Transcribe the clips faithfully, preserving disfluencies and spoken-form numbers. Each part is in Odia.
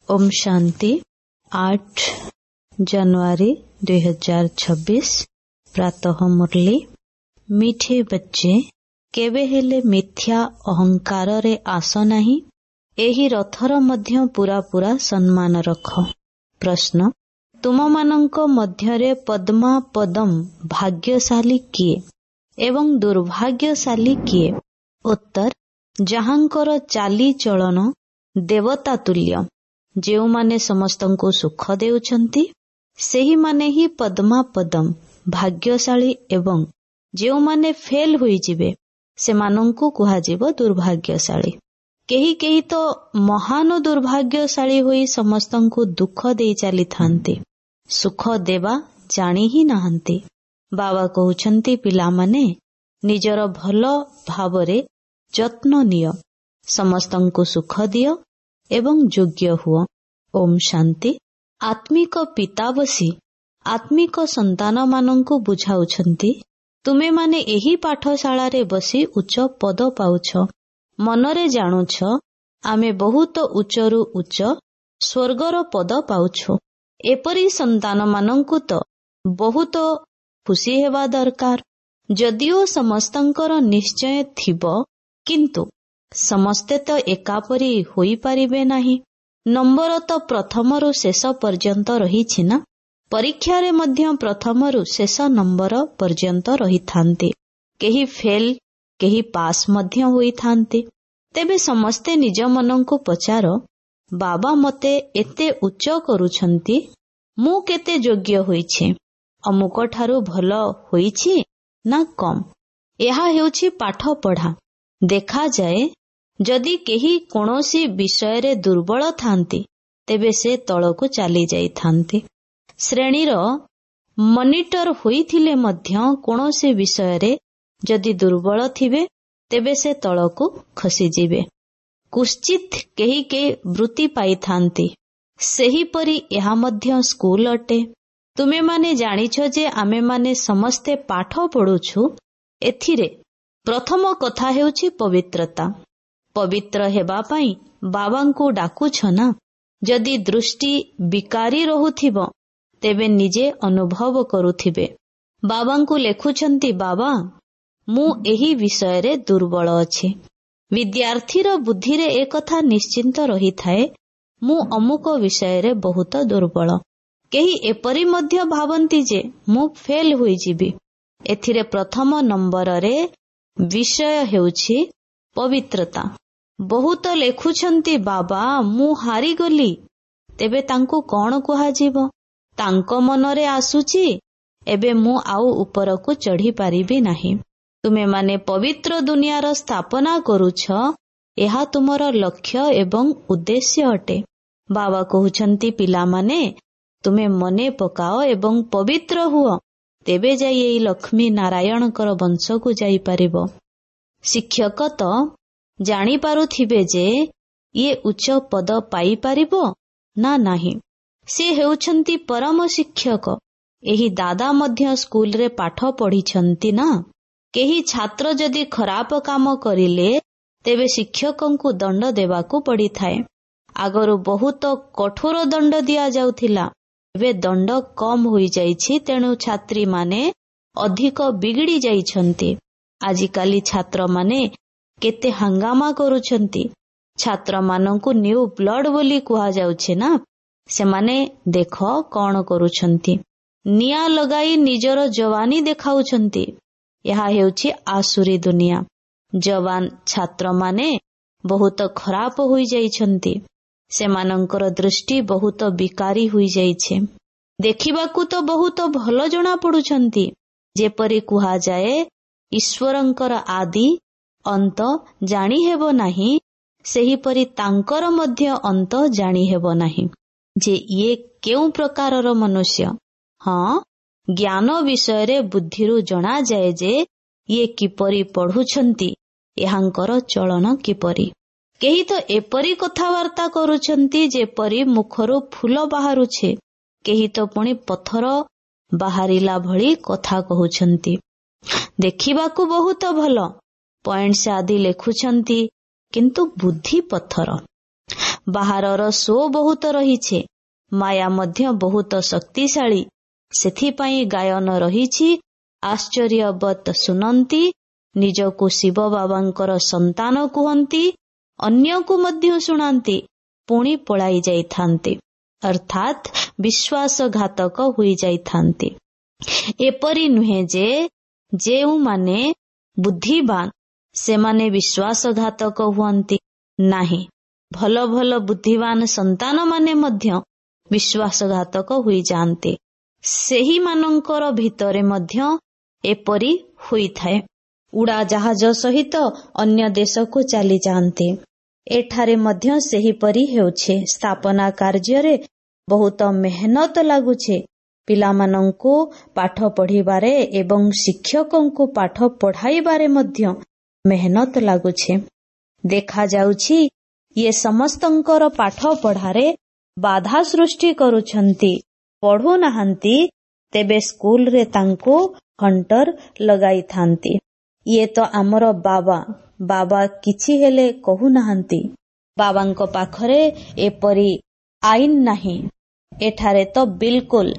ଓମ୍ ଶାନ୍ତି। ଆଠ जनवरी ଦୁଇ ହଜାର ଛବିଶ ପ୍ରାତଃ ମୁରଲି। ମିଠେ ବଚ୍ଚେ, କେବେ ହେଲେ ମିଥ୍ୟା ଅହଙ୍କାରରେ ଆସ ନାହିଁ। ଏହି ରଥର ମଧ୍ୟ ପୁରା ପୁରା ସମ୍ମାନ ରଖ। ପ୍ରଶ୍ନ, ତୁମମାନଙ୍କ ମଧ୍ୟରେ ପଦ୍ମା ପଦମ୍ ଭାଗ୍ୟଶାଳୀ କିଏ ଏବଂ ଦୁର୍ଭାଗ୍ୟଶାଳୀ କିଏ? ଉତ୍ତର, ଯାହାଙ୍କର ଚାଲିଚଳନ ଦେବତା ତୁଲ୍ୟ, ଯେଉଁମାନେ ସମସ୍ତଙ୍କୁ ସୁଖ ଦେଉଛନ୍ତି, ସେହିମାନେ ହିଁ ପଦ୍ମା ପଦମ୍ ଭାଗ୍ୟଶାଳୀ ଏବଂ ଯେଉଁମାନେ ଫେଲ୍ ହୋଇଯିବେ ସେମାନଙ୍କୁ କୁହାଯିବ ଦୁର୍ଭାଗ୍ୟଶାଳୀ। କେହି କେହି ତ ମହାନ ଦୁର୍ଭାଗ୍ୟଶାଳୀ ହୋଇ ସମସ୍ତଙ୍କୁ ଦୁଃଖ ଦେଇ ଚାଲିଥାନ୍ତି, ସୁଖ ଦେବା ଜାଣି ହିଁ ନାହାନ୍ତି। ବାବା କହୁଛନ୍ତି, ପିଲାମାନେ ନିଜର ଭଲ ଭାବରେ ଯତ୍ନ ନିଅ, ସମସ୍ତଙ୍କୁ ସୁଖ ଦିଅ ଏବଂ ଯୋଗ୍ୟ ହୁଅ। ଓମ୍ ଶାନ୍ତି। ଆତ୍ମିକ ପିତା ବସି ଆତ୍ମିକ ସନ୍ତାନମାନଙ୍କୁ ବୁଝାଉଛନ୍ତି, ତୁମେମାନେ ଏହି ପାଠଶାଳାରେ ବସି ଉଚ୍ଚ ପଦ ପାଉଛ। ମନରେ ଜାଣୁଛ ଆମେ ବହୁତ ଉଚ୍ଚରୁ ଉଚ୍ଚ ସ୍ୱର୍ଗର ପଦ ପାଉଛୁ। ଏପରି ସନ୍ତାନମାନଙ୍କୁ ତ ବହୁତ ଖୁସି ହେବା ଦରକାର। ଯଦିଓ ସମସ୍ତଙ୍କର ନିଶ୍ଚୟ ଥିବ, କିନ୍ତୁ ସମସ୍ତେ ତ ଏକାପରି ହୋଇପାରିବେ ନାହିଁ। ନମ୍ବର ତ ପ୍ରଥମରୁ ଶେଷ ପର୍ଯ୍ୟନ୍ତ ରହିଛି ନା? ପରୀକ୍ଷାରେ ମଧ୍ୟ ପ୍ରଥମରୁ ଶେଷ ନମ୍ବର ପର୍ଯ୍ୟନ୍ତ ରହିଥାନ୍ତି। କେହି ଫେଲ୍, କେହି ପାସ୍ ମଧ୍ୟ ହୋଇଥାନ୍ତି। ତେବେ ସମସ୍ତେ ନିଜ ମନକୁ ପଚାର, ବାବା ମୋତେ ଏତେ ଉଚ୍ଚ କରୁଛନ୍ତି, ମୁଁ କେତେ ଯୋଗ୍ୟ ହୋଇଛି? ଅମୁକ ଠାରୁ ଭଲ ହୋଇଛି ନା କମ୍? ଏହା ହେଉଛି ପାଠ ପଢ଼ା। ଦେଖାଯାଏ ଯଦି କେହି କୌଣସି ବିଷୟରେ ଦୁର୍ବଳ ଥାନ୍ତି, ତେବେ ସେ ତଳକୁ ଚାଲି ଯାଇଥାନ୍ତି। ଶ୍ରେଣୀର ମନିଟର ହୋଇଥିଲେ ମଧ୍ୟ କୌଣସି ବିଷୟରେ ଯଦି ଦୁର୍ବଳ ଥିବେ, ତେବେ ସେ ତଳକୁ ଖସିଯିବେ। କୁଶ୍ଚିତ କେହି କେହି ବୃତ୍ତି ପାଇଥାନ୍ତି। ସେହିପରି ଏହା ମଧ୍ୟ ସ୍କୁଲ ଅଟେ। ତୁମେମାନେ ଜାଣିଛ ଯେ ଆମେମାନେ ସମସ୍ତେ ପାଠ ପଢୁଛୁ। ଏଥିରେ ପ୍ରଥମ କଥା ହେଉଛି ପବିତ୍ରତା। ପବିତ୍ର ହେବା ପାଇଁ ବାବାଙ୍କୁ ଡାକୁଛ ନା? ଯଦି ଦୃଷ୍ଟି ବିକାରୀ ରହୁଥିବ, ତେବେ ନିଜେ ଅନୁଭବ କରୁଥିବେ। ବାବାଙ୍କୁ ଲେଖୁଛନ୍ତି, ବାବା ମୁଁ ଏହି ବିଷୟରେ ଦୁର୍ବଳ ଅଛି। ବିଦ୍ୟାର୍ଥୀର ବୁଦ୍ଧିରେ ଏକଥା ନିଶ୍ଚିନ୍ତ ରହିଥାଏ, ମୁଁ ଅମୁକ ବିଷୟରେ ବହୁତ ଦୁର୍ବଳ। କେହି ଏପରି ମଧ୍ୟ ଭାବନ୍ତି ଯେ ମୁଁ ଫେଲ୍ ହୋଇଯିବି। ଏଥିରେ ପ୍ରଥମ ନମ୍ବରରେ ବିଷୟ ହେଉଛି ପବିତ୍ରତା। ବହୁତ ଲେଖୁଛନ୍ତି, ବାବା ମୁଁ ହାରିଗଲି। ତେବେ ତାଙ୍କୁ କଣ କୁହାଯିବ? ତାଙ୍କ ମନରେ ଆସୁଛି, ଏବେ ମୁଁ ଆଉ ଉପରକୁ ଚଢ଼ି ପାରିବି ନାହିଁ। ତୁମେମାନେ ପବିତ୍ର ଦୁନିଆର ସ୍ଥାପନା କରୁଛ, ଏହା ତୁମର ଲକ୍ଷ୍ୟ ଏବଂ ଉଦ୍ଦେଶ୍ୟ ଅଟେ। ବାବା କହୁଛନ୍ତି, ପିଲାମାନେ ତୁମେ ମନେ ପକାଅ ଏବଂ ପବିତ୍ର ହୁଅ, ତେବେ ଯାଇ ଏଇ ଲକ୍ଷ୍ମୀ ନାରାୟଣଙ୍କର ବଂଶକୁ ଯାଇପାରିବ। ଶିକ୍ଷକ ତ ଜାଣିପାରୁଥିବେ ଯେ ଇଏ ଉଚ୍ଚ ପଦ ପାଇପାରିବ ନା ନାହିଁ। ସେ ହେଉଛନ୍ତି ପରମ ଶିକ୍ଷକ। ଏହି ଦାଦା ମଧ୍ୟ ସ୍କୁଲରେ ପାଠ ପଢିଛନ୍ତି ନା? କେହି ଛାତ୍ର ଯଦି ଖରାପ କାମ କରିଲେ, ତେବେ ଶିକ୍ଷକଙ୍କୁ ଦଣ୍ଡ ଦେବାକୁ ପଡ଼ିଥାଏ। ଆଗରୁ ବହୁତ କଠୋର ଦଣ୍ଡ ଦିଆଯାଉଥିଲା, ଏବେ ଦଣ୍ଡ କମ୍ ହୋଇଯାଇଛି। ତେଣୁ ଛାତ୍ରୀମାନେ ଅଧିକ ବିଗିଡ଼ି ଯାଇଛନ୍ତି। ଆଜିକାଲି ଛାତ୍ରମାନେ କେତେ ହାଙ୍ଗାମା କରୁଛନ୍ତି। ଛାତ୍ରମାନଙ୍କୁ ନ୍ୟୁ ବ୍ଲଡ ବୋଲି କୁହାଯାଉଛି ନା? ସେମାନେ ଦେଖ କଣ କରୁଛନ୍ତି, ନିଆଁ ଲଗାଇ ନିଜର ଯବାନୀ ଦେଖାଉଛନ୍ତି। ଏହା ହେଉଛି ଆସୁରୀ ଦୁନିଆ। ଯବାନ ଛାତ୍ରମାନେ ବହୁତ ଖରାପ ହୋଇଯାଇଛନ୍ତି। ସେମାନଙ୍କର ଦୃଷ୍ଟି ବହୁତ ବିକାରୀ ହୋଇଯାଇଛି। ଦେଖିବାକୁ ତ ବହୁତ ଭଲ ଜଣାପଡୁଛନ୍ତି। ଯେପରି କୁହାଯାଏ ଈଶ୍ୱରଙ୍କର ଆଦି ଅନ୍ତ ଜାଣିହେବ ନାହିଁ, ସେହିପରି ତାଙ୍କର ମଧ୍ୟ ଅନ୍ତ ଜାଣିହେବ ନାହିଁ ଯେ ଇଏ କେଉଁ ପ୍ରକାରର ମନୁଷ୍ୟ। ହଁ, ଜ୍ଞାନ ବିଷୟରେ ବୁଦ୍ଧିରୁ ଜଣାଯାଏ ଯେ ଇଏ କିପରି ପଢୁଛନ୍ତି, ଏହାଙ୍କର ଚଳନ କିପରି। କେହି ତ ଏପରି କଥାବାର୍ତ୍ତା କରୁଛନ୍ତି ଯେପରି ମୁଖରୁ ଫୁଲ ବାହାରୁଛି, କେହି ତ ପୁଣି ପଥର ବାହାରିଲା ଭଳି କଥା କହୁଛନ୍ତି। ଦେଖିବାକୁ ବହୁତ ଭଲ, ପଏଣ୍ଟସ ଆଦି ଲେଖୁଛନ୍ତି, କିନ୍ତୁ ବୁଦ୍ଧି ପଥର। ବାହାରର ଶୋ ବହୁତ ରହିଛି। ମାୟା ମଧ୍ୟ ବହୁତ ଶକ୍ତିଶାଳୀ। ସେଥିପାଇଁ ଗାୟନ ରହିଛି, ଆଶ୍ଚର୍ଯ୍ୟବତ୍ ଶୁଣନ୍ତି, ନିଜକୁ ଶିବ ବାବାଙ୍କର ସନ୍ତାନ କୁହନ୍ତି, ଅନ୍ୟକୁ ମଧ୍ୟ ଶୁଣାନ୍ତି, ପୁଣି ପଳାଇ ଯାଇଥାନ୍ତି, ଅର୍ଥାତ୍ ବିଶ୍ୱାସଘାତକ ହୋଇଯାଇଥାନ୍ତି। ଏପରି ନୁହେଁ ଯେ ଯେଉଁମାନେ ବୁଦ୍ଧିବାନ ସେମାନେ ବିଶ୍ୱାସଘାତକ ହୁଅନ୍ତି ନାହିଁ। ଭଲ ଭଲ ବୁଦ୍ଧିବାନ ସନ୍ତାନମାନେ ମଧ୍ୟ ବିଶ୍ୱାସଘାତକ ହୋଇଯାଆନ୍ତି। ସେହିମାନଙ୍କର ଭିତରେ ମଧ୍ୟ ଏପରି ହୋଇଥାଏ। ଉଡ଼ାଜାହାଜ ସହିତ ଅନ୍ୟ ଦେଶକୁ ଚାଲିଯାଆନ୍ତି। ଏଠାରେ ମଧ୍ୟ ସେହିପରି ହେଉଛି। ସ୍ଥାପନା କାର୍ଯ୍ୟରେ ବହୁତ ମେହନତ ଲାଗୁଛି। ପିଲାମାନଙ୍କୁ ପାଠ ପଢ଼ିବାରେ ଏବଂ ଶିକ୍ଷକଙ୍କୁ ପାଠ ପଢ଼ାଇବାରେ ମଧ୍ୟ ମେହନତ ଲାଗୁଛି। ଦେଖାଯାଉଛି ଇଏ ସମସ୍ତଙ୍କର ପାଠ ପଢ଼ାରେ ବାଧା ସୃଷ୍ଟି କରୁଛନ୍ତି, ପଢ଼ୁନାହାନ୍ତି, ତେବେ ସ୍କୁଲରେ ତାଙ୍କୁ ହଣ୍ଟର ଲଗାଇଥାନ୍ତି। ଇଏ ତ ଆମର ବାବା, ବାବା କିଛି ହେଲେ କହୁନାହାନ୍ତି। ବାବାଙ୍କ ପାଖରେ ଏପରି ଆଇନ ନାହିଁ। ଏଠାରେ ତ ବିଲକୁଲ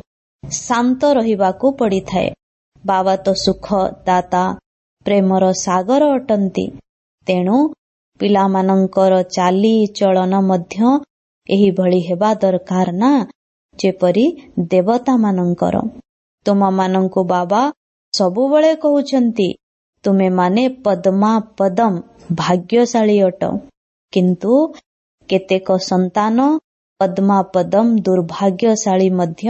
ଶାନ୍ତ ରହିବାକୁ ପଡ଼ିଥାଏ। ବାବା ତ ସୁଖ ଦାତା, ପ୍ରେମର ସାଗର ଅଟନ୍ତି। ତେଣୁ ପିଲାମାନଙ୍କର ଚାଲି ଚଳନ ମଧ୍ୟ ଏହିଭଳି ହେବା ଦରକାର ନା, ଯେପରି ଦେବତାମାନଙ୍କର। ତୁମମାନଙ୍କୁ ବାବା ସବୁବେଳେ କହୁଛନ୍ତି, ତୁମେମାନେ ପଦ୍ମା ପଦମ ଭାଗ୍ୟଶାଳୀ ଅଟ। କିନ୍ତୁ କେତେକ ସନ୍ତାନ ପଦ୍ମା ପଦମ ଦୁର୍ଭାଗ୍ୟଶାଳୀ ମଧ୍ୟ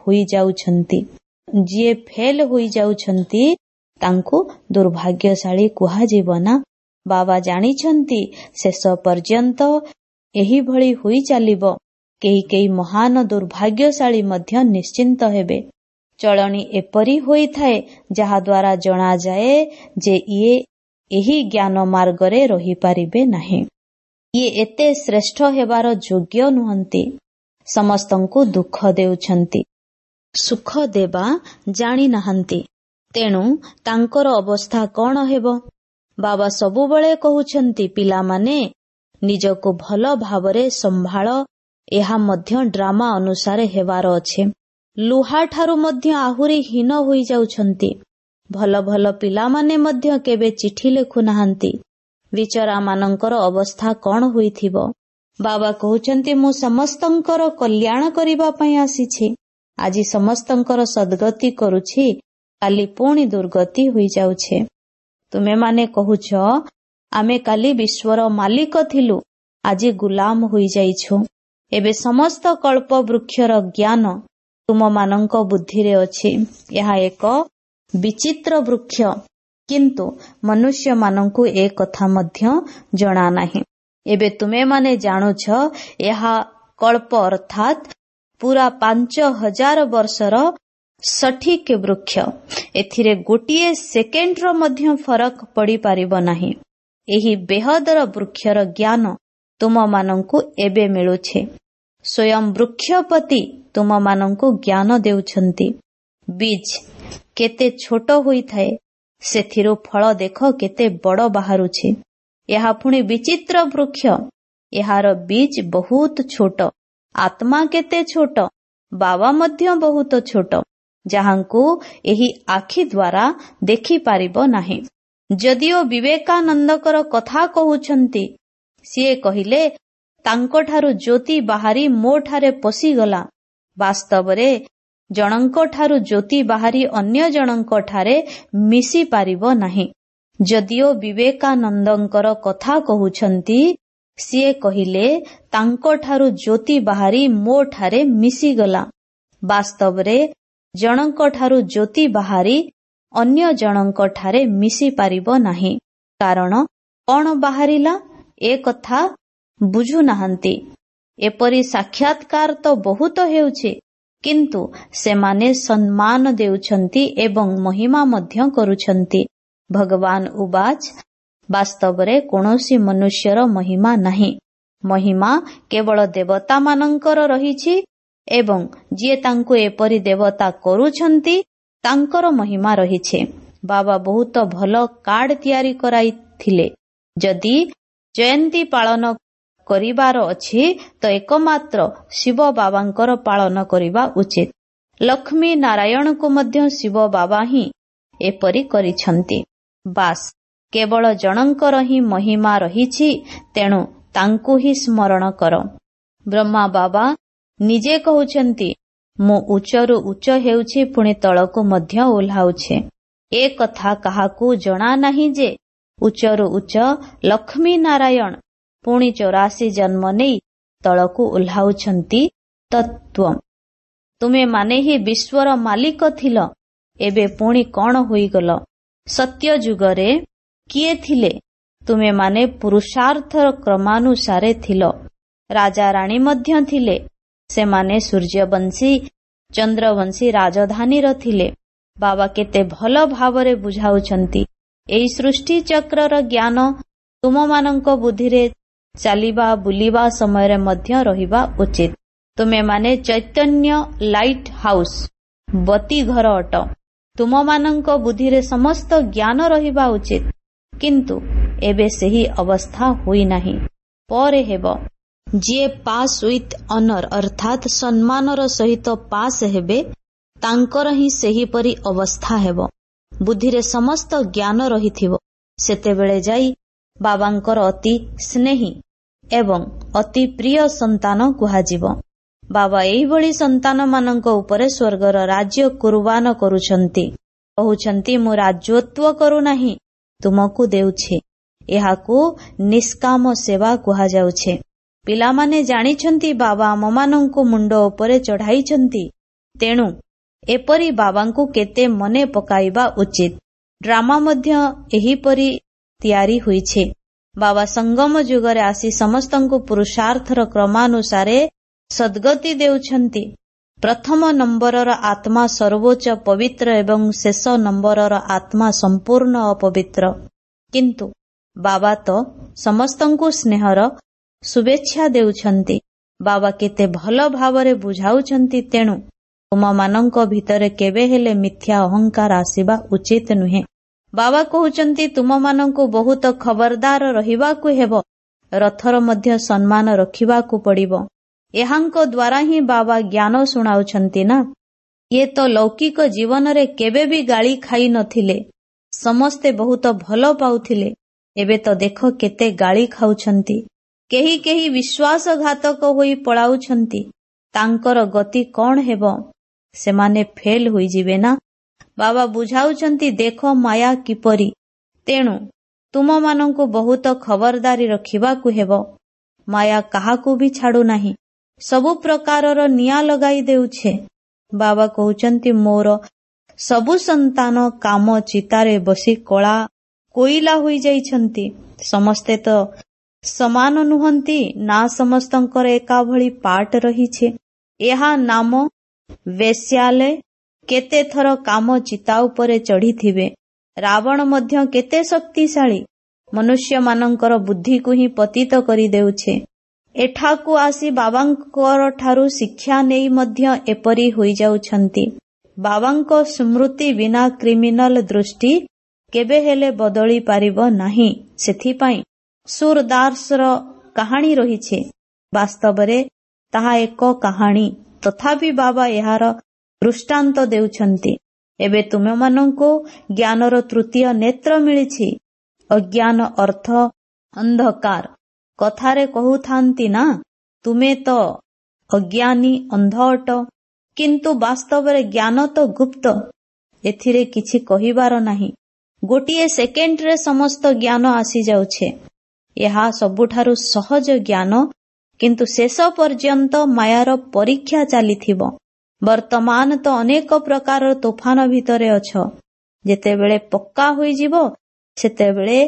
ହୋଇଯାଉଛନ୍ତି। ଯିଏ ଫେଲ ହୋଇଯାଉଛନ୍ତି ତାଙ୍କୁ ଦୁର୍ଭାଗ୍ୟଶାଳୀ କୁହାଯିବ ନା। ବାବା ଜାଣିଛନ୍ତି ଶେଷ ପର୍ଯ୍ୟନ୍ତ ଏହିଭଳି ହୋଇ ଚାଲିବ। କେହି କେହି ମହାନ ଦୁର୍ଭାଗ୍ୟଶାଳୀ ମଧ୍ୟ ନିଶ୍ଚିନ୍ତ ହେବେ। ଚଳଣି ଏପରି ହୋଇଥାଏ ଯାହାଦ୍ୱାରା ଜଣାଯାଏ ଯେ ଇଏ ଏହି ଜ୍ଞାନ ମାର୍ଗରେ ରହିପାରିବେ ନାହିଁ। ଇଏ ଏତେ ଶ୍ରେଷ୍ଠ ହେବାର ଯୋଗ୍ୟ ନୁହନ୍ତି। ସମସ୍ତଙ୍କୁ ଦୁଃଖ ଦେଉଛନ୍ତି, ସୁଖ ଦେବା ଜାଣିନାହାନ୍ତି। ତେଣୁ ତାଙ୍କର ଅବସ୍ଥା କଣ ହେବ? ବାବା ସବୁବେଳେ କହୁଛନ୍ତି, ପିଲାମାନେ ନିଜକୁ ଭଲ ଭାବରେ ସମ୍ଭାଳ। ଏହା ମଧ୍ୟ ଡ୍ରାମା ଅନୁସାରେ ହେବାର ଅଛି। ଲୁହାଠାରୁ ମଧ୍ୟ ଆହୁରି ହୀନ ହୋଇଯାଉଛନ୍ତି। ଭଲ ଭଲ ପିଲାମାନେ ମଧ୍ୟ କେବେ ଚିଠି ଲେଖୁନାହାନ୍ତି। ବିଚରାମାନଙ୍କର ଅବସ୍ଥା କଣ ହୋଇଥିବ? ବାବା କହୁଛନ୍ତି, ମୁଁ ସମସ୍ତଙ୍କର କଲ୍ୟାଣ କରିବା ପାଇଁ ଆସିଛି। ଆଜି ସମସ୍ତଙ୍କର ସଦ୍ଗତି କରୁଛି, କାଲି ପୁଣି ଦୁର୍ଗତି ହୋଇଯାଉଛି। ତୁମେମାନେ କହୁଛ, ଆମେ କାଲି ବିଶ୍ୱର ମାଲିକ ଥିଲୁ, ଆଜି ଗୁଲାମ ହୋଇଯାଇଛୁ। ଏବେ ସମସ୍ତ କଳ୍ପ ବୃକ୍ଷର ଜ୍ଞାନ ତୁମମାନଙ୍କ ବୁଦ୍ଧିରେ ଅଛି। ଏହା ଏକ ବିଚିତ୍ର ବୃକ୍ଷ, କିନ୍ତୁ ମନୁଷ୍ୟମାନଙ୍କୁ ଏ କଥା ମଧ୍ୟ ଜଣା ନାହିଁ। ଏବେ ତୁମେମାନେ ଜାଣୁଛ ଏହା କଳ୍ପ, ଅର୍ଥାତ୍ ପୁରା ପାଞ୍ଚ ହଜାର ବର୍ଷର ସଠିକ ବୃକ୍ଷ। ଏଥିରେ ଗୋଟିଏ ସେକେଣ୍ଡର ମଧ୍ୟ ଫରକ ପଡ଼ିପାରିବ ନାହିଁ। ଏହି ବେହଦର ବୃକ୍ଷର ଜ୍ଞାନ ତୁମମାନଙ୍କୁ ଏବେ ମିଳୁଛି। ସ୍ୱୟଂ ବୃକ୍ଷପତି ତୁମମାନଙ୍କୁ ଜ୍ଞାନ ଦେଉଛନ୍ତି। ବୀଜ କେତେ ଛୋଟ ହୋଇଥାଏ, ସେଥିରୁ ଫଳ ଦେଖ କେତେ ବଡ଼ ବାହାରୁଛି। ଏହା ପୁଣି ବିଚିତ୍ର ବୃକ୍ଷ। ଏହାର ବୀଜ ବହୁତ ଛୋଟ। ଆତ୍ମା କେତେ ଛୋଟ, ବାବା ମଧ୍ୟ ବହୁତ ଛୋଟ, ଯାହାଙ୍କୁ ଏହି ଆଖି ଦ୍ୱାରା ଦେଖିପାରିବ ନାହିଁ। ଯଦିଓ ବିବେକାନନ୍ଦଙ୍କର କଥା କହୁଛନ୍ତି, ସିଏ କହିଲେ ତାଙ୍କଠାରୁ ଜ୍ୟୋତି ବାହାରି ମୋଠାରେ ପଶିଗଲା। ବାସ୍ତବରେ ଜଣଙ୍କଠାରୁ ଜ୍ୟୋତି ବାହାରି ଅନ୍ୟ ଜଣଙ୍କଠାରେ ମିଶି ପାରିବ ନାହିଁ। ଯଦିଓ ବିବେକାନନ୍ଦଙ୍କର କଥା କହୁଛନ୍ତି, ସିଏ କହିଲେ ତାଙ୍କଠାରୁ ଜ୍ୟୋତି ବାହାରି ମୋଠାରେ ମିଶିଗଲା। ବାସ୍ତବରେ ଜଣଙ୍କଠାରୁ ଜ୍ୟୋତି ବାହାରି ଅନ୍ୟ ଜଣଙ୍କଠାରେ ମିଶି ପାରିବ ନାହିଁ। କାରଣ କଣ ବାହାରିଲା ଏ କଥା ବୁଝୁନାହାନ୍ତି। ଏପରି ସାକ୍ଷାତକାର ତ ବହୁତ ହେଉଛି, କିନ୍ତୁ ସେମାନେ ସମ୍ମାନ ଦେଉଛନ୍ତି ଏବଂ ମହିମା ମଧ୍ୟ କରୁଛନ୍ତି। ଭଗବାନ ଉବାଚ, ବାସ୍ତବରେ କୌଣସି ମନୁଷ୍ୟର ମହିମା ନାହିଁ। ମହିମା କେବଳ ଦେବତାମାନଙ୍କର ରହିଛି ଏବଂ ଯିଏ ତାଙ୍କୁ ଏପରି ଦେବତା କରୁଛନ୍ତି ତାଙ୍କର ମହିମା ରହିଛି। ବାବା ବହୁତ ଭଲ କାର୍ଡ ତିଆରି କରାଇଥିଲେ। ଯଦି ଜୟନ୍ତୀ ପାଳନ କରିବାର ଅଛି ତ ଏକମାତ୍ର ଶିବ ବାବାଙ୍କର ପାଳନ କରିବା ଉଚିତ। ଲକ୍ଷ୍ମୀ ନାରାୟଣଙ୍କୁ ମଧ୍ୟ ଶିବ ବାବା ହିଁ ଏପରି କରିଛନ୍ତି। ବାସ୍, କେବଳ ଜଣଙ୍କର ହିଁ ମହିମା ରହିଛି, ତେଣୁ ତାଙ୍କୁ ହିଁ ସ୍ମରଣ କର। ବ୍ରହ୍ମା ବାବା ନିଜେ କହୁଛନ୍ତି, ମୁଁ ଉଚ୍ଚରୁ ଉଚ୍ଚ ହେଉଛି, ପୁଣି ତଳକୁ ମଧ୍ୟ ଓହ୍ଲାଉଛି। ଏ କଥା କାହାକୁ ଜଣା ନାହିଁ ଯେ ଉଚ୍ଚରୁ ଉଚ୍ଚ ଲକ୍ଷ୍ମୀ ନାରାୟଣ ପୁଣି ଚୌରାଶୀ ଜନ୍ମ ନେଇ ତଳକୁ ଓହ୍ଲାଉଛନ୍ତି। ତତ୍ତ୍ୱ ତୁମେମାନେ ହିଁ ବିଶ୍ୱର ମାଲିକ ଥିଲ, ଏବେ ପୁଣି କଣ ହୋଇଗଲ? ସତ୍ୟ ଯୁଗରେ କିଏ ଥିଲେ? ତୁମେମାନେ ପୁରୁଷାର୍ଥର କ୍ରମାନୁସାରେ ଥିଲ। ରାଜା ରାଣୀ ମଧ୍ୟ ଥିଲେ। ସେମାନେ ସୂର୍ଯ୍ୟବଂଶୀ ଚନ୍ଦ୍ରବଂଶୀ ରାଜଧାନୀର ଥିଲେ। ବାବା କେତେ ଭଲ ଭାବରେ ବୁଝାଉଛନ୍ତି। ଏହି ସୃଷ୍ଟି ଚକ୍ରର ଜ୍ଞାନ ତୁମମାନଙ୍କ ବୁଦ୍ଧିରେ ଚାଲିବା ବୁଲିବା ସମୟରେ ମଧ୍ୟ ରହିବା ଉଚିତ। ତୁମେମାନେ ଚୈତନ୍ୟ ଲାଇଟ୍ ହାଉସ୍, ବତୀ ଘର ଅଟ। ତୁମମାନଙ୍କ ବୁଦ୍ଧିରେ ସମସ୍ତ ଜ୍ଞାନ ରହିବା ଉଚିତ, କିନ୍ତୁ ଏବେ ସେହି ଅବସ୍ଥା ହୋଇନାହିଁ, ପରେ ହେବ। ଯିଏ ପାସ୍ ୱିଥ୍ ଅନର ଅର୍ଥାତ୍ ସମ୍ମାନର ସହିତ ପାସ୍ ହେବେ, ତାଙ୍କର ହିଁ ସେହିପରି ଅବସ୍ଥା ହେବ। ବୁଦ୍ଧିରେ ସମସ୍ତ ଜ୍ଞାନ ରହିଥିବ। ସେତେବେଳେ ଯାଇ ବାବାଙ୍କର ଅତି ସ୍ନେହୀ ଏବଂ ଅତି ପ୍ରିୟ ସନ୍ତାନ କୁହାଯିବ। ବାବା ଏହିଭଳି ସନ୍ତାନମାନଙ୍କ ଉପରେ ସ୍ୱର୍ଗର ରାଜ୍ୟ କୁର୍ବାନ କରୁଛନ୍ତି। କହୁଛନ୍ତି, ମୁଁ ରାଜତ୍ୱ କରୁନାହିଁ, ତୁମକୁ ଦେଉଛି। ଏହାକୁ ନିଷ୍କାମ ସେବା କୁହାଯାଉଛି। ପିଲାମାନେ ଜାଣିଛନ୍ତି ବାବା ଆମମାନଙ୍କୁ ମୁଣ୍ଡ ଉପରେ ଚଢ଼ାଇଛନ୍ତି, ତେଣୁ ଏପରି ବାବାଙ୍କୁ କେତେ ମନେ ପକାଇବା ଉଚିତ। ଡ୍ରାମା ମଧ୍ୟ ଏହିପରି ତିଆରି ହୋଇଛି। ବାବା ସଙ୍ଗମ ଯୁଗରେ ଆସି ସମସ୍ତଙ୍କୁ ପୁରୁଷାର୍ଥର କ୍ରମାନୁସାରେ ସଦ୍ଗତି ଦେଉଛନ୍ତି। ପ୍ରଥମ ନମ୍ବରର ଆତ୍ମା ସର୍ବୋଚ୍ଚ ପବିତ୍ର ଏବଂ ଶେଷ ନମ୍ବରର ଆତ୍ମା ସମ୍ପୂର୍ଣ୍ଣ ଅପବିତ୍ର। କିନ୍ତୁ ବାବା ତ ସମସ୍ତଙ୍କୁ ସ୍ନେହର ଶୁଭେଚ୍ଛା ଦେଉଛନ୍ତି। ବାବା କେତେ ଭଲ ଭାବରେ ବୁଝାଉଛନ୍ତି। ତେଣୁ ତୁମମାନଙ୍କ ଭିତରେ କେବେ ହେଲେ ମିଥ୍ୟା ଅହଙ୍କାର ଆସିବା ଉଚିତ ନୁହେଁ। ବାବା କହୁଛନ୍ତି, ତୁମମାନଙ୍କୁ ବହୁତ ଖବରଦାର ରହିବାକୁ ହେବ, ରଥର ମଧ୍ୟ ସମ୍ମାନ ରଖିବାକୁ ପଡ଼ିବ। ଏହାଙ୍କ ଦ୍ୱାରା ହିଁ ବାବା ଜ୍ଞାନ ଶୁଣାଉଛନ୍ତି ନା। ଇଏ ତ ଲୌକିକ ଜୀବନରେ କେବେ ବି ଗାଳି ଖାଇ ନଥିଲେ, ସମସ୍ତେ ବହୁତ ଭଲ ପାଉଥିଲେ। ଏବେ ତ ଦେଖ କେତେ ଗାଳି ଖାଉଛନ୍ତି। କେହି କେହି ବିଶ୍ୱାସଘାତକ ହୋଇ ପଳାଉଛନ୍ତି। ତାଙ୍କର ଗତି କଣ ହେବ? ସେମାନେ ଫେଲ ହୋଇଯିବେ ନା। ବାବା ବୁଝାଉଛନ୍ତି, ଦେଖ ମାୟା କିପରି। ତେଣୁ ତୁମମାନଙ୍କୁ ବହୁତ ଖବରଦାରୀ ରଖିବାକୁ ହେବ। ମାୟା କାହାକୁ ବି ଛାଡୁନାହିଁ, ସବୁ ପ୍ରକାରର ନିଆଁ ଲଗାଇ ଦେଉଛି। ବାବା କହୁଛନ୍ତି, ମୋର ସବୁ ସନ୍ତାନ କାମ ଚିତାରେ ବସି କଳା କୋଇଲା ହୋଇଯାଇଛନ୍ତି। ସମସ୍ତେ ତ ସମାନ ନୁହନ୍ତି ନା, ସମସ୍ତଙ୍କର ଏକା ଭଳି ପାଠ ରହିଛି। ଏହା ନାମ ବେଶ୍ୟାଲୟ। କେତେ ଥର କାମ ଚିତା ଉପରେ ଚଢ଼ିଥିବେ। ରାବଣ ମଧ୍ୟ କେତେ ଶକ୍ତିଶାଳୀ, ମନୁଷ୍ୟମାନଙ୍କର ବୁଦ୍ଧିକୁ ହିଁ ପତିତ କରିଦେଉଛି। ଏଠାକୁ ଆସି ବାବାଙ୍କର ଠାରୁ ଶିକ୍ଷା ନେଇ ମଧ୍ୟ ଏପରି ହୋଇଯାଉଛନ୍ତି। ବାବାଙ୍କ ସ୍ମୃତି ବିନା କ୍ରିମିନାଲ ଦୃଷ୍ଟି କେବେ ହେଲେ ବଦଳି ପାରିବ ନାହିଁ। ସେଥିପାଇଁ ସୁରଦାସର କାହାଣୀ ରହିଛି। ବାସ୍ତବରେ ତାହା ଏକ କାହାଣୀ, ତଥାପି ବାବା ଏହାର ଦୃଷ୍ଟାନ୍ତ ଦେଉଛନ୍ତି। ଏବେ ତୁମମାନଙ୍କୁ ଜ୍ଞାନର ତୃତୀୟ ନେତ୍ର ମିଳିଛି। ଅଜ୍ଞାନ ଅର୍ଥ ଅନ୍ଧକାର। କଥାରେ କହୁଥାନ୍ତି ନା, ତୁମେ ତ ଅଜ୍ଞାନୀ ଅନ୍ଧ ଅଟ, କିନ୍ତୁ ବାସ୍ତବରେ ଜ୍ଞାନ ତ ଗୁପ୍ତ, ଏଥିରେ କିଛି କହିବାର ନାହିଁ। ଗୋଟିଏ ସେକେଣ୍ଡରେ ସମସ୍ତ ଜ୍ଞାନ ଆସିଯାଉଛି। ଏହା ସବୁଠାରୁ ସହଜ ଜ୍ଞାନ, କିନ୍ତୁ ଶେଷ ପର୍ଯ୍ୟନ୍ତ ମାୟାର ପରୀକ୍ଷା ଚାଲିଥିବ। ବର୍ତ୍ତମାନ ତ ଅନେକ ପ୍ରକାରର ତୋଫାନ ଭିତରେ ଅଛ। ଯେତେବେଳେ ପକ୍କା ହୋଇଯିବ, ସେତେବେଳେ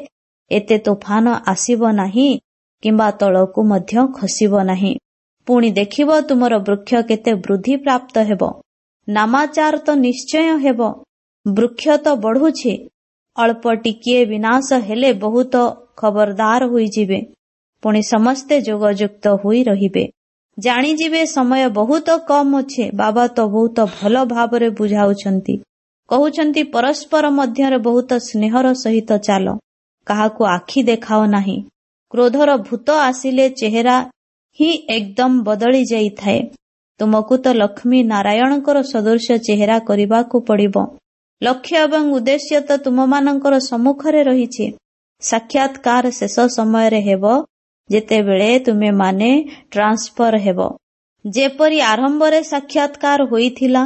ଏତେ ତୋଫାନ ଆସିବ ନାହିଁ କିମ୍ବା ତଳକୁ ମଧ୍ୟ ଖସିବ ନାହିଁ। ପୁଣି ଦେଖିବ ତୁମର ବୃକ୍ଷ କେତେ ବୃଦ୍ଧି ପ୍ରାପ୍ତ ହେବ। ନାମାଚାର ତ ନିଶ୍ଚୟ ହେବ। ବୃକ୍ଷ ତ ବଢୁଛି, ଅଳ୍ପ ଟିକିଏ ବିନାଶ ହେଲେ ବହୁତ ଖବରଦାର ହୋଇଯିବେ। ପୁଣି ସମସ୍ତେ ଯୋଗଯୁକ୍ତ ହୋଇ ରହିବେ। ଜାଣିଯିବେ ସମୟ ବହୁତ କମ୍ ଅଛି। ବାବା ତ ବହୁତ ଭଲ ଭାବରେ ବୁଝାଉଛନ୍ତି। କହୁଛନ୍ତି, ପରସ୍ପର ମଧ୍ୟରେ ବହୁତ ସ୍ନେହର ସହିତ ଚାଲ, କାହାକୁ ଆଖି ଦେଖାଅ ନାହିଁ। କ୍ରୋଧର ଭୂତ ଆସିଲେ ଚେହେରା ହିଁ ଏକଦମ ବଦଳି ଯାଇଥାଏ। ତୁମକୁ ତ ଲକ୍ଷ୍ମୀ ନାରାୟଣଙ୍କର ସଦୃଶ ଚେହେରା କରିବାକୁ ପଡ଼ିବ। ଲକ୍ଷ୍ୟ ଏବଂ ଉଦ୍ଦେଶ୍ୟ ତ ତୁମମାନଙ୍କର ସମ୍ମୁଖରେ ରହିଛି। ସାକ୍ଷାତକାର ଶେଷ ସମୟରେ ହେବ, ଯେତେବେଳେ ତୁମେମାନେ ଟ୍ରାନ୍ସଫର ହେବ। ଯେପରି ଆରମ୍ଭରେ ସାକ୍ଷାତକାର ହୋଇଥିଲା,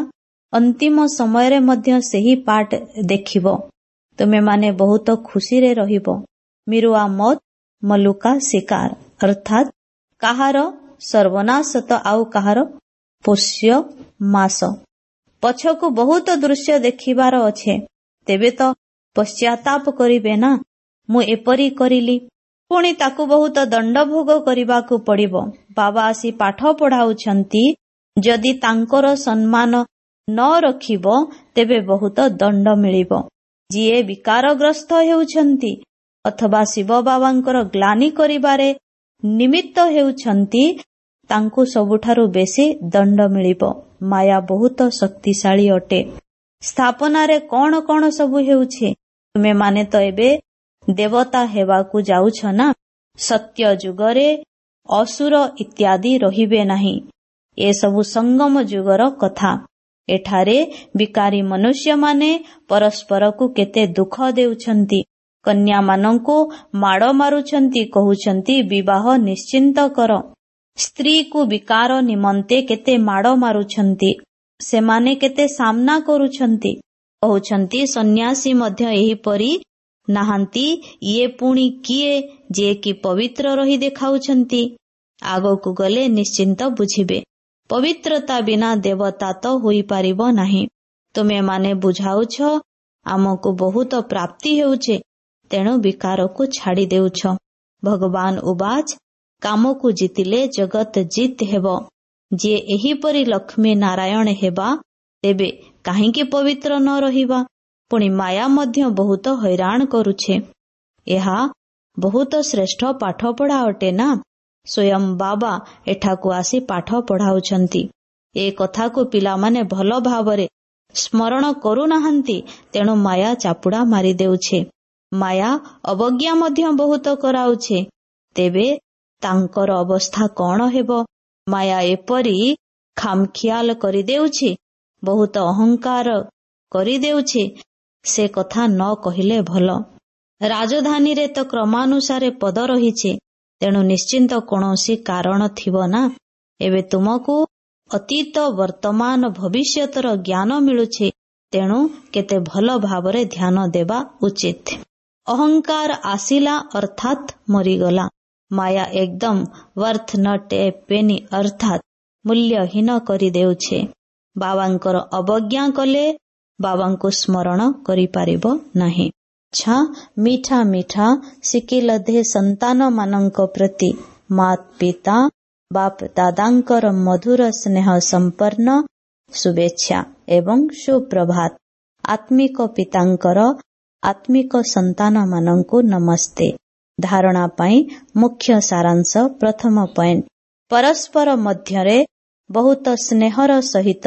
ଅନ୍ତିମ ସମୟରେ ମଧ୍ୟ ସେହି ପାର୍ଟ ଦେଖିବ। ତୁମେମାନେ ବହୁତ ଖୁସିରେ ରହିବ। ମିରୁଆ ମତ ମଲୁକା ଶିକାର, ଅର୍ଥାତ୍ କାହାର ସର୍ବନାଶ ତ ଆଉ କାହାର ପୋଷ୍ୟ ମାସ। ପଛକୁ ବହୁତ ଦୃଶ୍ୟ ଦେଖିବାର ଅଛି, ତେବେ ତ ପଶ୍ଚାତାପ କରିବେ ନା, ମୁଁ ଏପରି କରିଲି। ପୁଣି ତାକୁ ବହୁତ ଦଣ୍ଡ ଭୋଗ କରିବାକୁ ପଡ଼ିବ। ବାବା ଆସି ପାଠ ପଢ଼ାଉଛନ୍ତି, ଯଦି ତାଙ୍କର ସମ୍ମାନ ନ ରଖିବ ତେବେ ବହୁତ ଦଣ୍ଡ ମିଳିବ। ଯିଏ ବିକାରଗ୍ରସ୍ତ ହେଉଛନ୍ତି ଅଥବା ଶିବ ବାବାଙ୍କର ଗ୍ଲାନି କରିବାରେ ନିମିତ୍ତ ହେଉଛନ୍ତି, ତାଙ୍କୁ ସବୁଠାରୁ ବେଶୀ ଦଣ୍ଡ ମିଳିବ। ମାୟା ବହୁତ ଶକ୍ତିଶାଳୀ ଅଟେ। ସ୍ଥାପନାରେ କଣ କଣ ସବୁ ହେଉଛି? ତୁମେମାନେ ତ ଏବେ ଦେବତା ହେବାକୁ ଯାଉଛ ନା। ସତ୍ୟ ଯୁଗରେ ଅସୁର ଇତ୍ୟାଦି ରହିବେ ନାହିଁ। ଏସବୁ ସଙ୍ଗମ ଯୁଗର କଥା। ଏଠାରେ ବିକାରୀ ମନୁଷ୍ୟମାନେ ପରସ୍ପରକୁ କେତେ ଦୁଃଖ ଦେଉଛନ୍ତି। କନ୍ୟାମାନଙ୍କୁ ମାଡ଼ ମାରୁଛନ୍ତି, କହୁଛନ୍ତି ବିବାହ ନିଶ୍ଚିନ୍ତ କର। ସ୍ତ୍ରୀକୁ ବିକାର ନିମନ୍ତେ କେତେ ମାଡ଼ ମାରୁଛନ୍ତି। ସେମାନେ କେତେ ସାମ୍ନା କରୁଛନ୍ତି। କହୁଛନ୍ତି ସନ୍ନ୍ୟାସୀ ମଧ୍ୟ ଏହିପରି ନାହାନ୍ତି, ଇଏ ପୁଣି କିଏ ଯିଏକି ପବିତ୍ର ରହି ଦେଖାଉଛନ୍ତି? ଆଗକୁ ଗଲେ ନିଶ୍ଚିନ୍ତ ବୁଝିବେ। ପବିତ୍ରତା ବିନା ଦେବତା ତ ହୋଇପାରିବ ନାହିଁ। ତୁମେମାନେ ବୁଝାଉଛ ଆମକୁ ବହୁତ ପ୍ରାପ୍ତି ହେଉଛି, ତେଣୁ ବିକାରକୁ ଛାଡ଼ି ଦେଉଛ। ଭଗବାନ ଉବାଚ, କାମକୁ ଜିତିଲେ ଜଗତ ଜିତ୍ ହେବ। ଯିଏ ଏହିପରି ଲକ୍ଷ୍ମୀ ନାରାୟଣ ହେବା, ତେବେ କାହିଁକି ପବିତ୍ର ନ ରହିବା? ପୁଣି ମାୟା ମଧ୍ୟ ବହୁତ ହଇରାଣ କରୁଛେ। ଏହା ବହୁତ ଶ୍ରେଷ୍ଠ ପାଠପଢ଼ା ଅଟେ ନା? ସ୍ୱୟଂ ବାବା ଏଠାକୁ ଆସି ପାଠ ପଢ଼ାଉଛନ୍ତି। ଏ କଥାକୁ ପିଲାମାନେ ଭଲ ଭାବରେ ସ୍ମରଣ କରୁନାହାନ୍ତି, ତେଣୁ ମାୟା ଚାପୁଡ଼ା ମାରିଦେଉଛି। ମାୟା ଅବଜ୍ଞା ମଧ୍ୟ ବହୁତ କରାଉଛି। ତେବେ ତାଙ୍କର ଅବସ୍ଥା କଣ ହେବ? ମାୟା ଏପରି ଖାମଖିଆଲ କରିଦେଉଛି, ବହୁତ ଅହଙ୍କାର କରିଦେଉଛି, ସେ କଥା ନ କହିଲେ ଭଲ। ରାଜଧାନୀରେ ତ କ୍ରମାନୁସାରେ ପଦ ରହିଛି, ତେଣୁ ନିଶ୍ଚିନ୍ତ କୌଣସି କାରଣ ଥିବ ନା। ଏବେ ତୁମକୁ ଅତୀତ, ବର୍ତ୍ତମାନ, ଭବିଷ୍ୟତର ଜ୍ଞାନ ମିଳୁଛି, ତେଣୁ କେତେ ଭଲ ଭାବରେ ଧ୍ୟାନ ଦେବା ଉଚିତ। ଅହଙ୍କାର ଆସିଲା ଅର୍ଥାତ୍ ମରିଗଲା। ମାୟା ଏକଦମ ୱର୍ଥ not a ପେନି, ଅର୍ଥାତ୍ ମୂଲ୍ୟହୀନ କରିଦେଉଛି। ବାବାଙ୍କର ଅବଜ୍ଞା କଲେ ବାବାଙ୍କୁ ସ୍ମରଣ କରିପାରିବ ନାହିଁ। ଆଚ୍ଛା, ମିଠା ମିଠା ସିକିଲଧେ ସନ୍ତାନମାନଙ୍କ ପ୍ରତି ମାତ ପିତା ବାପ ଦାଦାଙ୍କର ମଧୁର ସ୍ନେହ ସମ୍ପନ୍ନ ଶୁଭେଚ୍ଛା ଏବଂ ସୁପ୍ରଭାତ। ଆତ୍ମିକ ପିତାଙ୍କର ଆତ୍ମିକ ସନ୍ତାନମାନଙ୍କୁ ନମସ୍ତେ। ଧାରଣା ପାଇଁ ମୁଖ୍ୟ ସାରାଂଶ ପ୍ରଥମ ପଏଣ୍ଟ, ପରସ୍ପର ମଧ୍ୟରେ ବହୁତ ସ୍ନେହର ସହିତ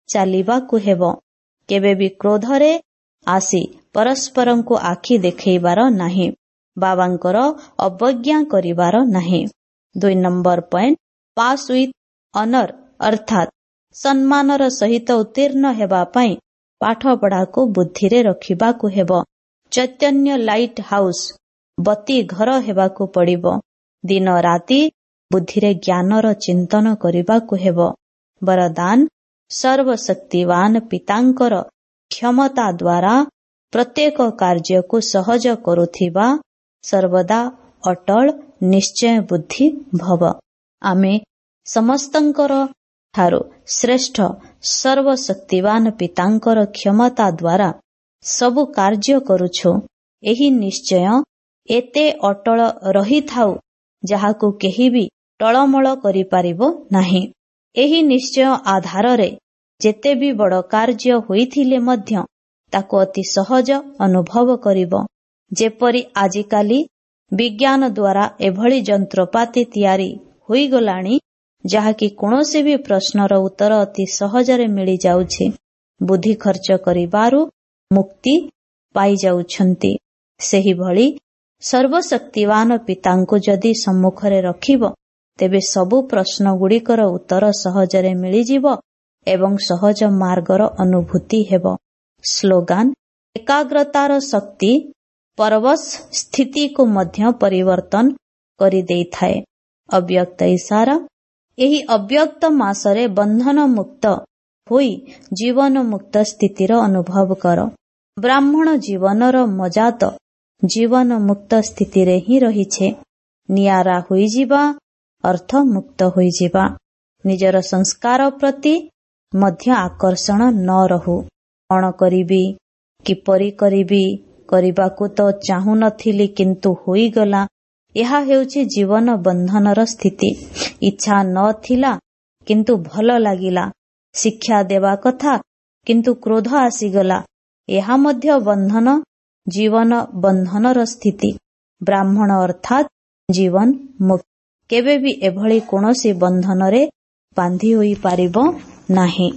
ଚାଲିବାକୁ ହେବ। କେବେ ବି କ୍ରୋଧରେ ଆସି ପରସ୍ପରଙ୍କୁ ଆଖି ଦେଖେଇବାର ନାହିଁ, ବାବାଙ୍କର ଅବଜ୍ଞା କରିବାର ନାହିଁ। ଦୁଇ number point, pass with honour, ଅର୍ଥାତ୍ ସମ୍ମାନର ସହିତ ଉତ୍ତୀର୍ଣ୍ଣ ହେବା ପାଇଁ ପାଠପଢ଼ାକୁ ବୁଦ୍ଧିରେ ରଖିବାକୁ ହେବ। ଚୈତନ୍ୟ ଲାଇଟ୍ ହାଉସ୍, ବତୀ ଘର ହେବାକୁ ପଡ଼ିବ। ଦିନ ରାତି ବୁଦ୍ଧିରେ ଜ୍ଞାନର ଚିନ୍ତନ କରିବାକୁ ହେବ। ବରଦାନ, ସର୍ବଶକ୍ତିବାନ ପିତାଙ୍କର କ୍ଷମତା ଦ୍ୱାରା ପ୍ରତ୍ୟେକ କାର୍ଯ୍ୟକୁ ସହଜ କରୁଥିବା ସର୍ବଦା ଅଟଳ ନିଶ୍ଚୟ ବୁଦ୍ଧି ଭବ। ଆମେ ସମସ୍ତଙ୍କର ଠାରୁ ଶ୍ରେଷ୍ଠ ସର୍ବଶକ୍ତିବାନ ପିତାଙ୍କର କ୍ଷମତା ଦ୍ୱାରା ସବୁ କାର୍ଯ୍ୟ କରୁଛୁ। ଏହି ନିଶ୍ଚୟ ଏତେ ଅଟଳ ରହିଥାଉ ଯାହାକୁ କେହି ବି ଟଳମଳ କରିପାରିବ ନାହିଁ। ଏହି ନିଶ୍ଚୟ ଆଧାରରେ ଯେତେ ବି ବଡ଼ କାର୍ଯ୍ୟ ହୋଇଥିଲେ ମଧ୍ୟ ତାକୁ ଅତି ସହଜ ଅନୁଭବ କରିବ। ଯେପରି ଆଜିକାଲି ବିଜ୍ଞାନ ଦ୍ୱାରା ଏଭଳି ଯନ୍ତ୍ରପାତି ତିଆରି ହୋଇଗଲାଣି, ଯାହାକି କୌଣସି ବି ପ୍ରଶ୍ନର ଉତ୍ତର ଅତି ସହଜରେ ମିଳିଯାଉଛି। ବୁଦ୍ଧି ଖର୍ଚ୍ଚ କରିବାରୁ ମୁକ୍ତି ପାଇଯାଉଛନ୍ତି। ସେହିଭଳି ସର୍ବଶକ୍ତିବାନ ପିତାଙ୍କୁ ଯଦି ସମ୍ମୁଖରେ ରଖିବ, ତେବେ ସବୁ ପ୍ରଶ୍ନଗୁଡ଼ିକର ଉତ୍ତର ସହଜରେ ମିଳିଯିବ ଏବଂ ସହଜ ମାର୍ଗର ଅନୁଭୂତି ହେବ। ସ୍ଲୋଗାନ: ଏକାଗ୍ରତାର ଶକ୍ତି ପରବଶ ସ୍ଥିତିକୁ ମଧ୍ୟ ପରିବର୍ତ୍ତନ କରିଦେଇଥାଏ। ଅବ୍ୟକ୍ତ ଇସାରା: ଏହି ଅବ୍ୟକ୍ତ ମାସରେ ବନ୍ଧନ ମୁକ୍ତ ହୋଇ ଜୀବନ ମୁକ୍ତ ସ୍ଥିତିର ଅନୁଭବ କର। ବ୍ରାହ୍ମଣ ଜୀବନର ମଜା ତ ଜୀବନ ମୁକ୍ତ ସ୍ଥିତିରେ ହିଁ ରହିଛି। ନିଆରା ହୋଇଯିବା ଅର୍ଥ ମୁକ୍ତ ହୋଇଯିବା। ନିଜର ସଂସ୍କାର ପ୍ରତି ମଧ୍ୟ ଆକର୍ଷଣ ନ ରହୁ। କଣ କରିବି, କିପରି କରିବି, କରିବାକୁ ତ ଚାହୁଁ ନଥିଲି କିନ୍ତୁ ହୋଇଗଲା, ଏହା ହେଉଛି ଜୀବନ ବନ୍ଧନର ସ୍ଥିତି। ଇଚ୍ଛା ନ ଥିଲା କିନ୍ତୁ ଭଲ ଲାଗିଲା, ଶିକ୍ଷା ଦେବା କଥା କିନ୍ତୁ କ୍ରୋଧ ଆସିଗଲା, ଏହା ମଧ୍ୟ ବନ୍ଧନ, ଜୀବନ ବନ୍ଧନର ସ୍ଥିତି। ବ୍ରାହ୍ମଣ ଅର୍ଥାତ୍ ଜୀବନ ମୁକ୍ତ କେବେ ବି ଏଭଳି କୌଣସି ବନ୍ଧନରେ ବାନ୍ଧି ହୋଇପାରିବ ନାହିଁ।